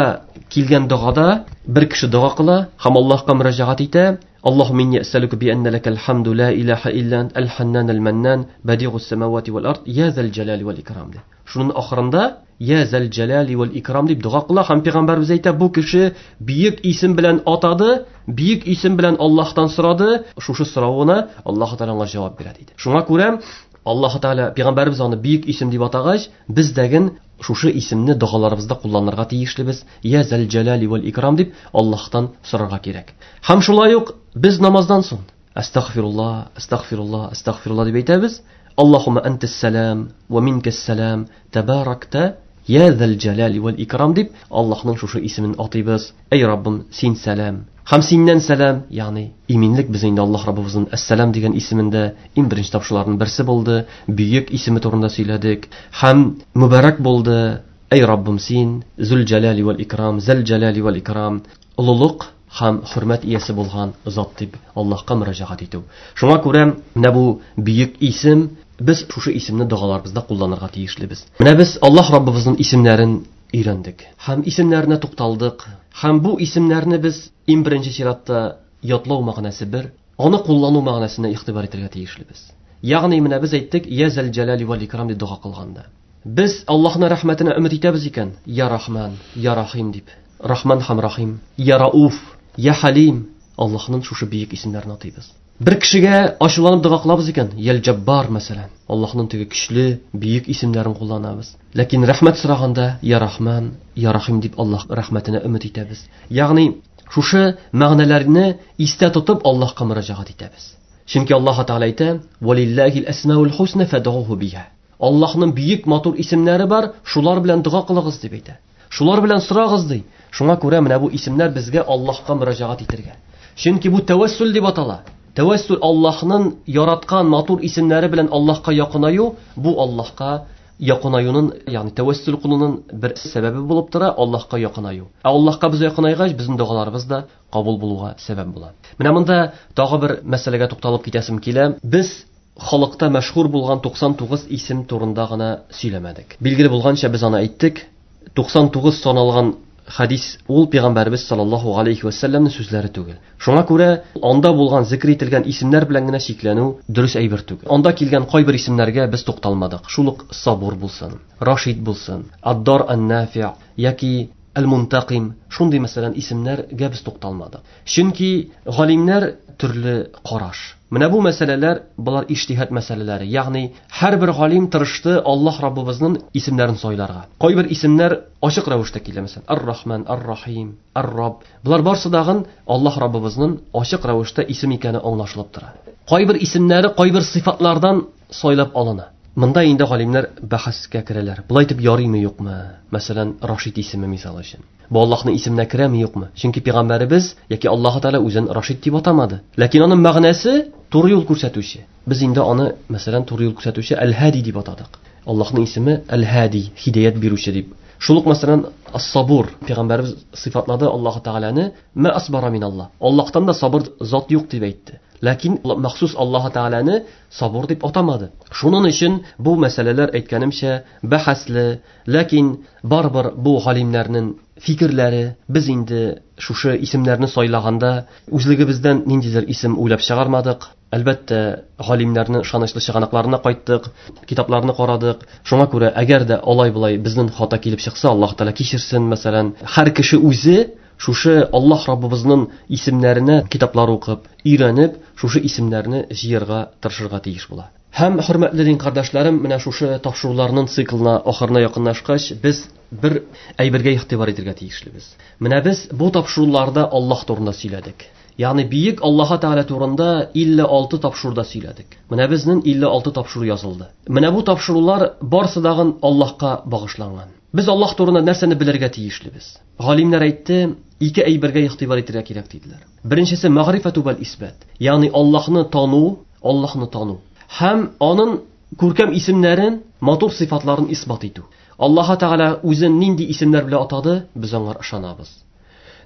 килгән догада бер кеше дога кыла һәм Аллаһка мөрәҗәгать итә. Аллаһумма инни әсәлүкә би анна лакал хамду ла илаһа илля ант әл-Ханнан әл-Маннан бадигус самавати вал ард я зал җалали вал икрам ди. Шуның ахырында я зал җалали вал икрам дип дога кыла һәм Пәйгамбәребез әйтә, бу кеше бөек исем белән атады, бөек исем белән Аллаһтан сорады, шушы соравына Аллаһ Тәгалә аңа җавап бирә диде. Шуңа күрә Аллаһ Тәгалә Пәйгамбәребез аны бөек исем дип атагач, без дәген шушы исемне догаларыбызда кулланырга тиешлебез. Я зал җалали вал икрам дип Аллаһтан сорарга кирәк. Һәм шулай ук без намаздан соң Астагфирулла, астагфирулла, астагфирулла дип әйтәбез. Аллаһумма антас салам ва минкас салам табаракта я зал җалали вал икрам дип Аллаһның шушы исемен атыйбыз. Эй Раббым, син сәлам һәм синнән сәлам, ягъни иминлек без инде Аллаһ Раббыбызның әс-сәлам дигән исемендә иң беренче тапшыруларның берсе булды. Бөек исеме турында сөйләдек һәм мөбарәк булды. Эй Раббым, син зул җалали вал икрам, зал җалали вал икрам, олылык һәм хөрмәт иясе булган зат дип Аллаһка мөрәҗәгать итү. Шуңа күрә менә бу бөек исем, без шушы исемне догаларыбызда кулланырга тиешлебез. Менә без Аллаһ Раббыбызның исемнәрен өйрәндек һәм исемнәренә тукталдык. Һәм бу исемнәрне без иң беренче чиратта ятлау мәгънәсе бер, аны куллану мәгънәсенә игътибар итәргә тиешлебез. Ягъни менә без әйттек, я зал җалали вал икрам дип дога кылганда. Без Аллаһның рәхмәтенә өмет итәбез икән, я Рахман, я Рахим дип. Рахман һәм Рахим, я Рауф, я Халим, Аллаһның шушы бөек исемнәрен атыйбыз. Бер кешегә ачуланып дога кылабыз икән, Ял Җаббар мәсәлән, Аллаһның теге көчле, бөек исемнәрен кулланабыз. Ләкин рәхмәт сораганда я Рахман, я Рахим дип Аллаһ рәхмәтенә өмет итәбез. Ягъни шушы мәгънәләрне истә тотып Аллаһка мөрәҗәгать итәбез. Чөнки Аллаһ Тәгалә әйтә: "Валиллахил асмаул хусна фад'уһу биха". Аллаһның бөек матур исемнәре бар, шулар белән дога кылыгыз дип әйтә. Шулар белән сорагыз ди. Шуңа күрә менә бу исемнәр безгә Аллаһка мөрәҗәгать итәргә. Чөнки бу тәвәссул дип атала. Тәвәссул Аллаһның яраткан матур исемнәре белән Аллаһка якынаю, бу Аллаһка якынаюның, ягъни тәвәссул кылуның бер сәбәбе булып тора, Аллаһка якынаю. Ә Аллаһка без якынайгач, безнең догаларыбыз да кабул булуга сәбәп була. Менә монда тагы бер мәсьәләгә тукталып китәсем килә. Без халыкта мәшһүр булган туксан тугыз исем турында гына сөйләмәдек. Билгеле булганча без аны әйттек. туксан тугыз саналган хадис ул Пәйгамбәребез саллаллаһу алейхи ва сәлләмнең сүзләре түгел. Шуңа күрә анда булган зикр ителгән исемнәр белән генә чикләнү дөрес әйбер түгел. Анда килгән кайбер исемнәргә без тукталмадык. Шул ук Сабур булсын, Рашид булсын, Ад-Дар ан-Нафи' яки Әл-Мунтаким, шундый мәсәлән исемнәргә без тукталмадык. Чөнки галимнәр төрле караш. Менә бу мәсьәләләр булар иҗтиһад мәсьәләләре. Ягъни һәрбер галим тырышты Аллаһ Раббыбызның исемнәрен сайларга. Кайбер исемнәр ачык рәвештә килә, мәсәлән, Ар-Рахман, Ар-Рахим, Ар-Рабб. Булар барсы дагын Аллаһ Раббыбызның ачык рәвештә исем икәне аңлашылып тора. Кайбер исемнәре кайбер сыйфатлардан сайлап алына. Монда инде галимнәр бәхәскә керәләр. Болай итеп ярыймы юкмы? Мәсәлән, Рашид исеме мисал өчен. Бу Аллаһның исеменә керәме юкмы? Чөнки Пәйгамбәребез яки Аллаһ Тәгалә үзен Рашид дип атамады. Ләкин аның мәгънәсе туры юл күрсәтүче. Без инде аны, мәсәлән, туры юл күрсәтүче Әл-Һади дип атадык. Аллаһның исеме Әл-Һади, һидаят бирүче дип. Шул ук мәсәлән, Ас-Сабур, Пәйгамбәребез сыйфатлады Аллаһ Тәгаләне, Ма асбара миналлаһ. Аллаһтан да сабыр зат юк дип әйтте. Ләкин махсус Аллаһ Тәгаләне сабур дип атамады. Шуның өчен бу мәсьәләләр әйткәнемчә бәхәсле, ләкин барыбер бу галимнәрнең фикерләре, без инде шушы исемнәрне сайлаганда үзлегебездән ниндидер исем уйлап чыгармадык. Әлбәттә, галимнәрнең ышанычлы чыганакларына кайттык, китапларны карадык. Шуңа күрә әгәр дә алай-болай безнең хата килеп чыкса, Аллаһ Тәгалә кичерсен, мәсәлән, һәр кеше үзе шушы Аллаһ Раббыбызның исемнәренә китаплар укып, өйрәнеп, шушы исемнәрне җыярга тырышырга тиеш була. Һәм хөрмәтле дин кардәшләрем, менә шушы тапшыруларның циклына ахырына якынлашкач, без бер әйбергә игътибар итәргә тиешлебез. Менә без бу тапшыруларда Аллаһ турында сөйләдек. Ягъни бөек Аллаһ Тәгалә турында илле алты тапшыруда сөйләдек. Менә безнең илле алты тапшыру язылды. Менә бу тапшырулар барсы дагын Аллаһка багышланган. Без Аллаһ турында нәрсәне белергә тиешлебез? Галимнәр әйтте, ике әйбергә игътибар итәргә кирәк диделәр. Беренчесе мәгърифәту вәл исбат, ягъни Аллаһны тану, Аллаһны тану һәм аның күркәм исемнәрен, матур сыйфатларын исбат итү. Аллаһ Тәгалә үзен нинди исемнәр белән атады, без аңа ышанабыз.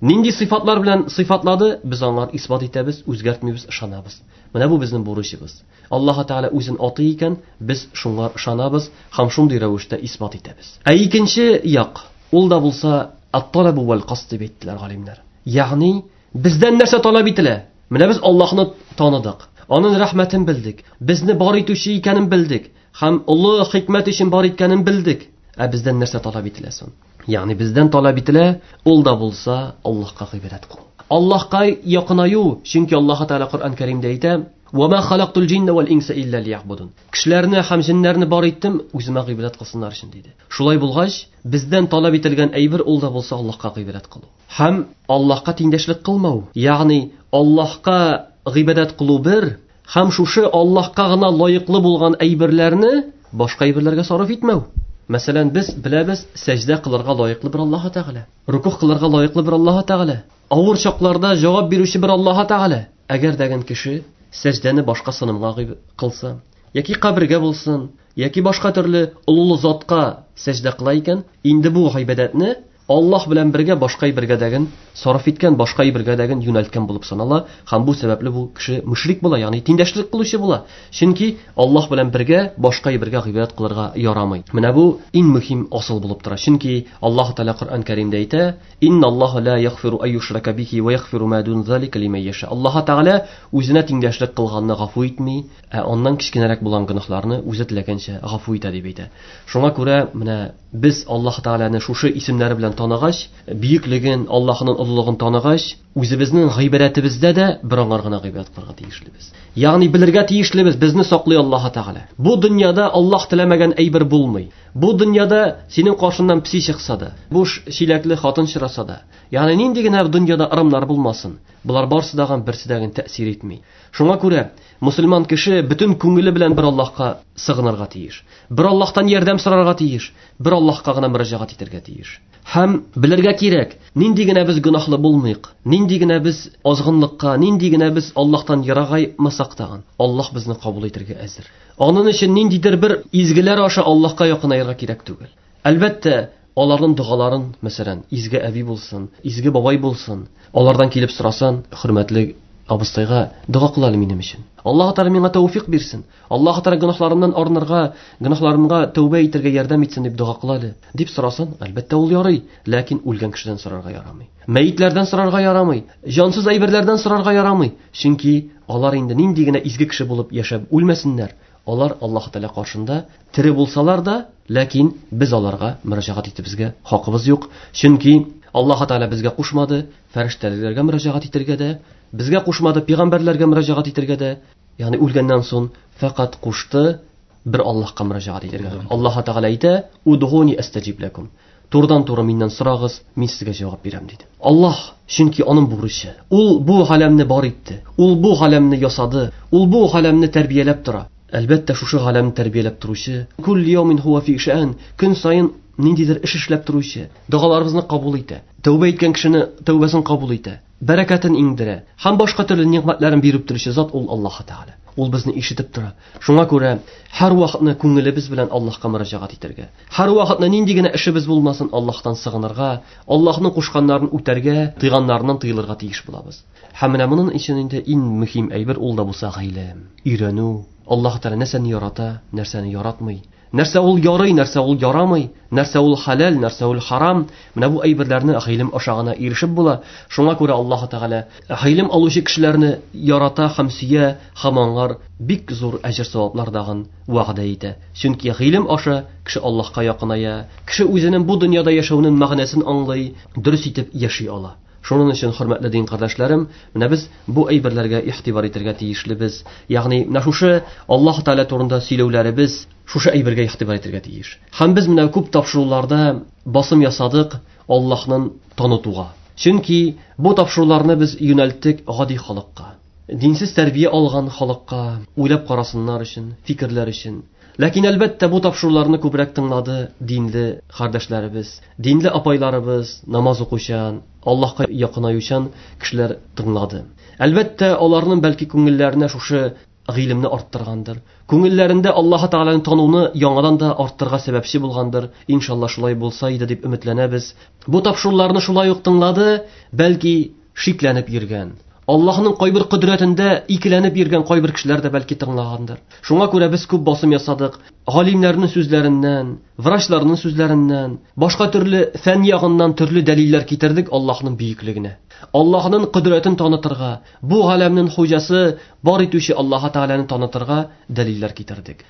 Нинди сыйфатлар белән сыйфатлады, без аңар исбат итәбез, үзгәртмибез, ышанабыз. Менә бу безнең бурычыбыз. Аллаһ Тәгалә үзен атый икән, без шуңа ышанабыз һәм шундый рәвештә исбат итәбез. Ә икенче як, ул да булса ат-талабу вал касд дип әйттеләр галимнәр. Ягъни бездән нәрсә таләп ителә? Менә без Аллаһны таныдык, аның рәхмәтен белдек, безне бар итүче икәнен белдек һәм олы хикмәт өчен бар иткәнен белдек. Ә бездән нәрсә таләп ителә соң? Ягъни бездән таләп ителә, ул да булса Аллаһка гыйбадәт кылу. Аллаһка якынаю, чөнки Аллаһ Тәгалә Коръән Кәримдә әйтә: "Ва ма халактул җинна вал инса илля лиябудун." Кешеләрне һәм җиннәрне бар иттем, үземә гыйбадәт кылсыннар өчен диде. Шулай булгач, бездән таләп ителгән әйбер ул да булса Аллаһка гыйбадәт кылу. Һәм Аллаһка тиңдәшлек кылмау, ягъни Аллаһка гыйбадәт кылу бер, һәм шушы Аллаһка гына лаеклы булган әйберләрне башка әйберләргә сарыф итмәү. Мәсәлән, без беләбез, сәҗдә кылырга лаеклы бер Аллаһ Тәгалә, рукух кылырга лаеклы бер Аллаһ Тәгалә, авыр чакларда җавап бирүче бер Аллаһ Тәгалә. Әгәр дәген кеше сәҗдәне башка сынымга кылса, яки кабергә булсын, яки башка төрле олы затка сәҗдә кыла икән, инде бу гыйбадәтне Аллаһ белән бергә башка әйбергә дәген сарыф иткән, башка әйбергә дәген юнәлткән булып санала, һәм бу сәбәпле бу кеше мөшрик була, ягъни тиңдәшлек кылучы була. Чөнки Аллаһ белән бергә башка әйбергә гыйбадәт кылырга ярамый. Менә бу иң мөһим асыл булып тора. Чөнки Аллаһ Тәгалә Коръән Кәримдә әйтә: "Инналлаһа ла ягфиру ай юшрака бихи ва ягфиру ма дун залика лиман яша." Аллаһ Тәгалә үзенә тиңдәшлек кылганны гафу итми, ә аннан кечкенәрәк булган гөнаһларны үзе теләгәнчә гафу итә дип әйтә. Шуңа күрә менә без Аллаһ Тәгаләне шушы исемнәре белән таныгач, бөеклеген, Аллаһның олылыгын таныгач, үзебезнең гыйбадәтебездә дә бер аңар гына гыйбадәт кылырга тиешлебез. Ягъни белергә тиешлебез, безне саклый Аллаһ Тәгалә. Бу дөньяда Аллаһ теләмәгән әйбер булмый. Бу дөньяда синең каршыннан пси чыкса да, буш чиләкле хатын чыраса да, ягъни нинди генә дөньяда ырымнар булмасын, булар барсы дагы берсе дә тәэсир итми. Шуңа күрә мусульман кеше бөтен күңеле белән бер Аллаһка сыгынырга тиеш. Бер Аллаһтан ярдәм сорарга тиеш, бер Аллаһка гына мөрәҗәгать итәргә тиеш. Һәм белергә кирәк, нинди генә без гөнаһлы булмыйк, нинди генә без азгынлыкка, нинди генә без Аллаһтан ерагаймасак тагын, Аллаһ безне кабул итәргә әзер. Аның өчен ниндидер бер изгеләр аша Аллаһка якынаерга кирәк түгел. Әлбәттә, аларның догаларын, мәсәлән, изге әби булсын, изге бабай булсын, алардан килеп сорасан, хөрмәтле абыстайга дога кыл әле минем өчен. Аллаһ Тәгалә миңа тәүфик бирсен. Аллаһ Тәгалә гөнаһларымнан арынырга, гөнаһларымга тәүбә итәргә ярдәм итсен дип дога кыл әле дип сорасан, әлбәттә ул ярый, ләкин үлгән кешедән сорарга ярамый. Мәетләрдән сорарга ярамый, җансыз әйберләрдән сорарга ярамый. Чөнки алар инде нинди генә изге кеше булып яшәп үлмәсеннәр, алар Аллаһ Тәгалә каршында тере булсалар да, ләкин без аларга мөрәҗәгать итебезгә хакыбыз юк. Чөнки Аллаһ Тәгалә безгә кушмады фәрештәләргә мөрәҗәгать итәргә дә, безгә кушмады пәйгамбәрләргә мөрәҗәгать итәргә дә, ягъни үлгәннән соң фақат кушты бер Аллаһка мөрәҗәгать итәргә. Аллаһ Тәгалә әйтә: "Удгуни астаҗиб лакум." Турыдан-туры миннән сорагыз, мин сезгә җавап бирәм диде. Аллаһ, чөнки аның бурычы. Ул бу галәмне бар итте. Ул бу галәмне ясады. Ул бу галәмне тәрбияләп тора. Әлбәттә, шушы галәмне тәрбияләп торучы, кул яумин хуа фи ша'ан, көн саен ниндидер эш эшләп торучы, догаларыбызны кабул итә, тәүбә иткән кешене тәүбәсен кабул итә, бәрәкәтен иңдерә һәм башка төрле нигъмәтләрен биреп торучы зат ул Аллаһ Тәгалә. Ул безне ишетеп тора. Шуңа күрә һәр вакытны күңелебез белән Аллаһка мөрәҗәгать итәргә, һәр вакытны нинди генә эшебез булмасын Аллаһтан сыгынырга, Аллаһның кушканнарын үтәргә, тыйганнарыннан тыелырга тиеш булабыз. Һәм менә моның өчен инде иң мөһим әйбер ул да булса гыйлем, өйрәнү. Аллаһ Тәгалә нәрсәне ярата, нәрсәне яратмый, нәрсә ул ярый, нәрсә ул ярамый, нәрсә ул хәләл, нәрсә ул харам. Менә бу әйберләрне гыйлем аша гына ирешеп була. Шуңа күрә Аллаһ Тәгалә гыйлем алучы кешеләрне ярата һәм сөя, һәм аңар бик зур әҗер-саваплар дагын вәгъдә итә. Чөнки гыйлем аша кеше Аллаһка якыная, кеше үзенең бу дөньяда яшәүнең мәгънәсен аңлый, дөрес итеп яши ала. Шуның өчен, хөрмәтле дин кардәшләрем, менә без бу әйберләргә игътибар итәргә тиешлебез. Ягъни менә шушы Аллаһ Тәгалә турында сөйләүләребез шушы әйбергә игътибар итәргә тиеш. Һәм без менә күп тапшыруларда басым ясадык Аллаһның танытуга. Чөнки бу тапшыруларны без юнәлттек гади халыкка, динсез тәрбия алган халыкка, уйлап карасыннар өчен, фикерләр өчен. Ләкин әлбәттә бу тапшыруларны күбрәк тыңлады динле кардәшләребез, динле апайларыбыз, намаз укучан, Аллаһка якынаючан кешеләр тыңлады. Әлбәттә, аларның бәлки күңелләренә шушы гыйлемне арттыргандыр. Күңелләрендә Аллаһ Тәгаләне тануны яңадан да арттырырга сәбәпче булгандыр. Иншалла шулай булса иде дип өметләнәбез. Бу тапшыруларны шулай ук тыңлады, бәлки шикләнеп йөргән, Аллаһның кайбер кодрәтендә икеләнеп йөргән кайбер кешеләр дә бәлки тыңлагандыр. Шуңа күрә без күп басым ясадык. Галимнәрнең сүзләреннән, врачларның сүзләреннән, башка төрле фән ягыннан төрле дәлилләр китердек Аллаһның бөеклегенә. Аллаһның кодрәтен танытырга, бу галәмнең хуҗасы бар итүче Аллаһ Тәгаләне танытырга дәлилләр китердек.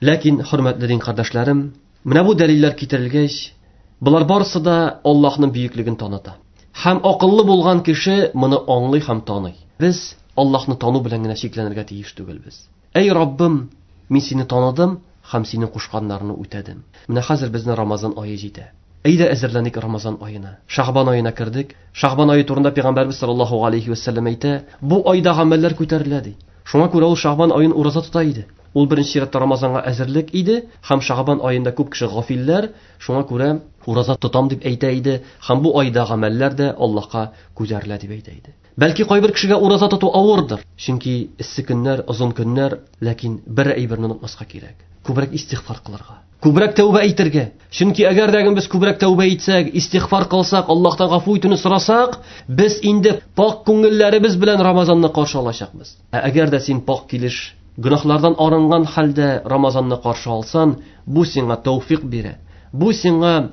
Ләкин, хөрмәтле дин кардәшләрем, менә бу дәлилләр китерелгәч, болар барысы да Аллаһның бөеклеген таныта. Һәм акыллы булган кеше моны аңлый һәм таный. Без Аллаһны тану белән генә чикләнергә тиеш түгелбез. Әй Раббым, мин сине таныдым һәм синең кушканнарыңны үтәдем. Менә хәзер безне Рамазан ае җитә. Әйдә әзерләник Рамазан аена. Шәгъбан аена кердек. Шәгъбан ае турында Пәйгамбәрбез саллаллаһу алейхи ва сәлләм әйтә, бу айда гамәлләр күтәрелә ди. Шуңа күрә ул Шәгъбан аен ураза тота иде. Ул беренче чиратта Рамазанга әзерлек иде, һәм Шәгъбан аенда күп кеше гафилләр, шуңа күрә ураза тотам дип әйтә иде, һәм бу айда гамәлләр дә Аллаһка күтәрелә дип әйтә иде. Бәлки кайбер кешегә ураза тоту авырдыр, чөнки эссе көннәр, озын көннәр, ләкин бер әйберне онытмаска кирәк. Күбрәк истигъфар кылырга, күбрәк тәүбә әйтергә. Чөнки әгәр дә без күбрәк тәүбә итсәк, истигъфар кылсак, Аллаһтан гафу итүне сорасак, без инде пак күңелләребез белән Рамазанны каршы алачакбыз. Ә әгәр дә син пак килеш, гөнаһлардан арынган хәлдә Рамазанны каршы алсан, бу сиңа тәүфик бирә. Бу сиңа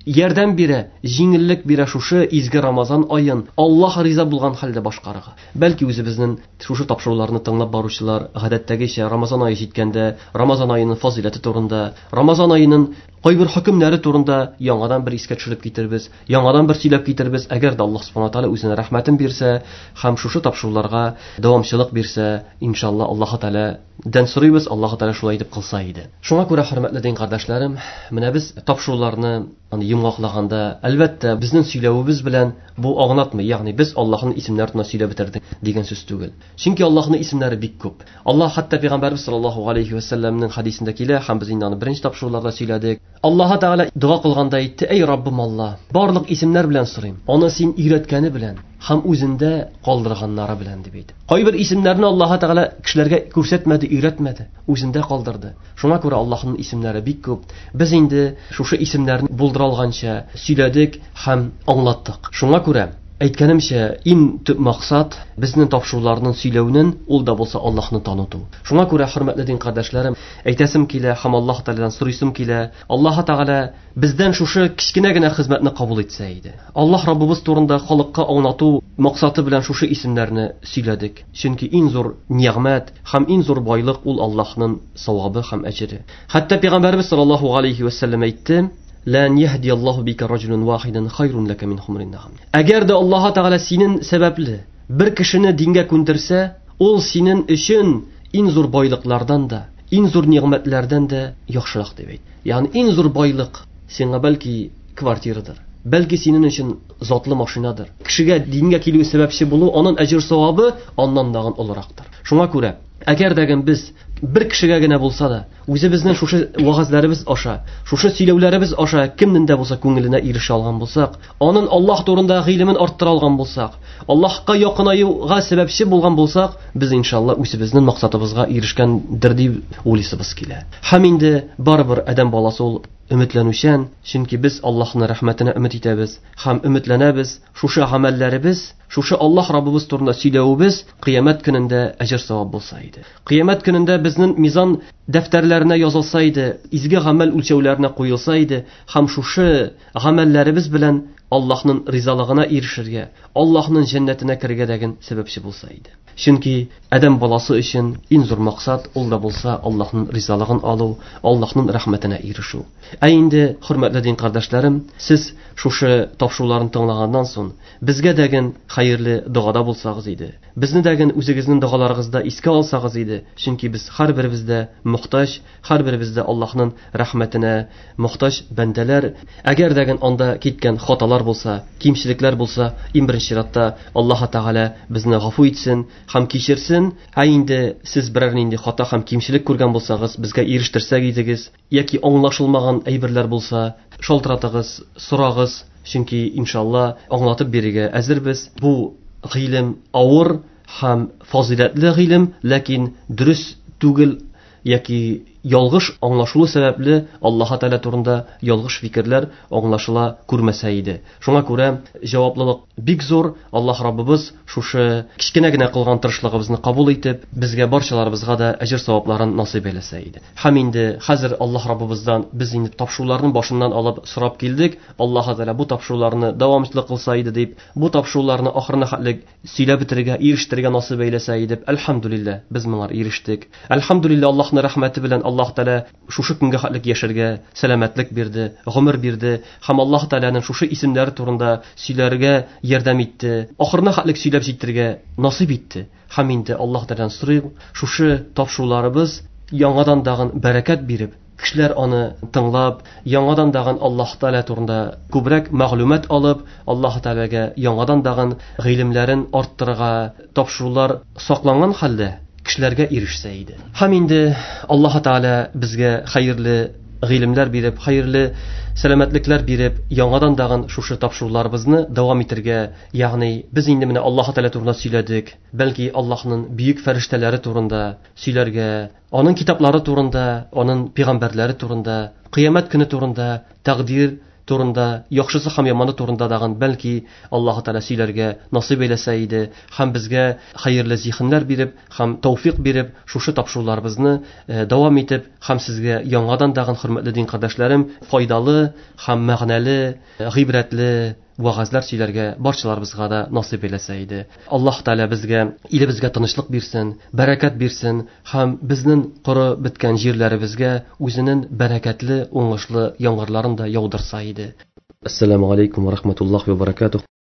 ярдәм бирә, җиңеллек бирә шушы изге Рамазан аен Аллаһ риза булган хәлдә башкарырга. Бәлки үзебезнең шушы тапшыруларны тыңлап баручылар гадәттәгечә Рамазан ае җиткәндә Рамазан аеның фазыйләте турында, Рамазан аеның кайбер хөкемнәре турында яңадан бер искә төшереп китербез, яңадан бер сөйләп китербез. Әгәр дә Аллаһ субхана тааля үзенең рәхмәтен бирсә һәм шушы тапшыруларга дәвамчылык бирсә, иншалла Аллаһ Тааладан сорыйбыз, Аллаһ Тааля шулай итеп кылса иде. Шуңа күрә, хөрмәтле дин кардәшләрем, менә без тапшыруларны йомгаклagанда, әлбәттә, безнең сөйләвебез белән бу аңлатмый, ягъни без Аллаһның исемнәрен сөйләп бетердек дигән сүз түгел. Чөнки Аллаһның исемнәре бик күп. Аллаһ хәтта Пәйгамбәрбез саллаллаһу алейхи ва сәлләмнең хадисендә килә, һәм без инде аны беренче тапшыруларда сөйләдек. Аллаһ Тәгалә дога кылганда әйтте: "Эй Раббым Аллаһ, барлык исемнәр белән сорыйм, аны син өйрәткәне белән һәм үзендә калдырганнары белән" дип әйтте. Кайбер исемнәрне Аллаһ Тәгалә кешеләргә күрсәтмәде, өйрәтмәде, үзендә калдырды. Шуңа күрә Аллаһның исемнәре бик күп. Без инде шушы исемнәрне булдыра алганча сөйләдек һәм аңлаттык. Шуңа күрә әйткәнемчә, иң төп максат безнең тапшыруларның сөйләүнең ул да булса Аллаһны таныту. Шуңа күрә, хөрмәтле дин кардәшләрем, әйтәсем килә һәм Аллаһ Тәгаләдән сорыйсым килә. Аллаһ Тәгалә бездән шушы кечкенә генә хезмәтне кабул итсә иде. Аллаһ Раббыбыз турында халыкка аңлату максаты белән шушы исемнәрне сөйләдек. Чөнки иң зур нигъмәт һәм иң зур байлык ул Аллаһның савабы һәм әҗере. Хәтта Пәйгамбәрбез саллаллаһу алейхи ва сәлләм әйтте: "Лан яһди Аллаһу бика раҗулан вахидан хайрун лака мин хумрин нагам". Әгәр дә Аллаһ Тәгалә синең сәбәпле бер кешене дингә күндерсә, ул синең өчен иң зур байлыклардан да, иң зур нигъмәтләрдән дә яхшырак дип әйтте. Ягъни иң зур байлык сиңа бәлки квартирадыр, бәлки синең өчен затлы машинадыр. Кешегә дингә килү сәбәпче булу, аның әҗер савабы аннан дагын олырактыр. Шуңа күрә, әгәр дә без бер кешегә генә булса да, үзебезнең шушы вагазларыбыз аша, шушы сөйләүләребез аша кемнең дә булса күңеленә ирешә алган булсак, аның Аллаһ турында гыйлемен арттыра алган булсак, Аллаһка якынаюга сәбәпче булган булсак, без иншалла үзебезнең максатыбызга ирешкәндер дип уйлыйсыбыз килә. Һәм инде барыбер адәм баласы ул өметләнүчән, чөнки без Аллаһның рәхмәтенә өмет итәбез һәм өметләнәбез, шушы гамәлләребез, шушы Аллаһ Раббыбыз турында сөйләвебез кыямәт көнендә әҗер савап булса иде. Кыямәт көнендә безнең мизан дәфтәрләренә язылса иде, изге гамәл үлчәүләренә куелса иде һәм шушы гамәлләребез белән Аллаһның ризалыгына ирешергә, Аллаһның җәннәтенә керергә дәген сәбәпче булса иде. Чөнки адәм баласы өчен иң зур максат ул да булса Аллаһның ризалыгын алу, Аллаһның рәхмәтенә ирешү. Ә инде, хөрмәтле дин кардәшләрем, сез шушы тапшыруларны тыңлаганнан соң безгә дәген хәерле догада булсагыз иде. Безне дәген үзегезнең догаларыгызда искә алсагыз иде. Чөнки без һәрберебез дә мохтаҗ, һәрберебез дә Аллаһның рәхмәтенә мохтаҗ бәндәләр. Әгәр дәген анда киткән хаталар булса, кимчелекләр булса, иң беренче чиратта Аллаһ Тәгалә безне гафу итсен һәм кичерсен. Ә инде сез берәр нинди хата һәм кимчелек күргән булсагыз, безгә ирештерсәк идегез, яки аңлашылмаган әйберләр булса, шалтыратыгыз, сорагыз, чөнки иншалла аңлатып бирергә әзербез. Бу гыйлем авыр һәм фазыйләтле гыйлем, ләкин дөрес түгел яки ялгыш аңлашылу сәбәпле Аллаһ Тәгалә турында ялгыш фикерләр аңлашыла күрмәсә иде. Шуңа күрә җаваплылык бик зур. Аллаһ Раббыбыз шушы кечкенә генә кылган тырышлыгыбызны кабул итеп, безгә барчаларыбызга да әҗер савапларын насыйп әйләсә иде. Һәм инде хәзер Аллаһ Раббыбыздан без инде тапшыруларның башыннан алып сорап килдек. Аллаһ Тәгалә бу тапшыруларны дәвамлы кылса иде дип, бу тапшыруларны ахырына хәтле сөйләп бетерергә, ирештерергә насыйп әйләсә иде. Әлхәмдүлилләһ, без моңа ирештек. Әлхәмдүлилләһ, Аллаһның рәхмәте белән Аллаһ Тәгалә шушы көнгә хәтлек яшәргә сәламәтлек бирде, гомер бирде һәм Аллаһ Тәгаләнең шушы исемнәре турында сөйләргә ярдәм итте. Ахырына хәтлек сөйләп җитәргә насыйп итте. Һәм инде Аллаһ Тәгаләдән сорыйм, шушы тапшыруларыбыз яңадан дагын бәрәкәт биреп, кешеләр аны тыңлап, яңадан дагын Аллаһ Тәгалә турында күбрәк мәгълүмат алып, Аллаһ Тәгаләгә яңадан дагын гыйлемнәрен арттырырга тапшырулар сакланган хәлдә кешеләргә ирешсә иде. Һәм инде Аллаһ Тәгалә безгә хәерле гыйлемләр биреп, хәерле сәламәтлекләр биреп, яңадан дагын шушы тапшыруларыбызны дәвам итәргә, ягъни без инде менә Аллаһ Тәгалә турында сөйләдек, бәлки Аллаһның бөек фәрештәләре турында сөйләргә, аның китаплары турында, аның пәйгамбәрләре турында, кыямәт көне турында, тәкъдир турында, яхшысы һәм яманы турында дагын бәлки Аллаһ Тәгалә сөйләргә насыйп әйләсә иде һәм безгә хәерле зиһеннәр биреп һәм тәүфик биреп, шушы тапшыруларыбызны дәвам итеп һәм сезгә яңадан дагын, хөрмәтле дин кардәшләрем, файдалы һәм мәгънәле, гыйбрәтле вәгазьләр сөйләргә барчаларыбызга да насыйп әйләсә иде. Аллаһ Тәгалә безгә, илебезгә тынычлык бирсен, бәрәкәт бирсен һәм безнең коры беткән җирләребезгә үзенең бәрәкәтле, уңышлы яңгырларын да яудырса иде. Ассаламу алейкум ва рахматуллахи ва баракатух.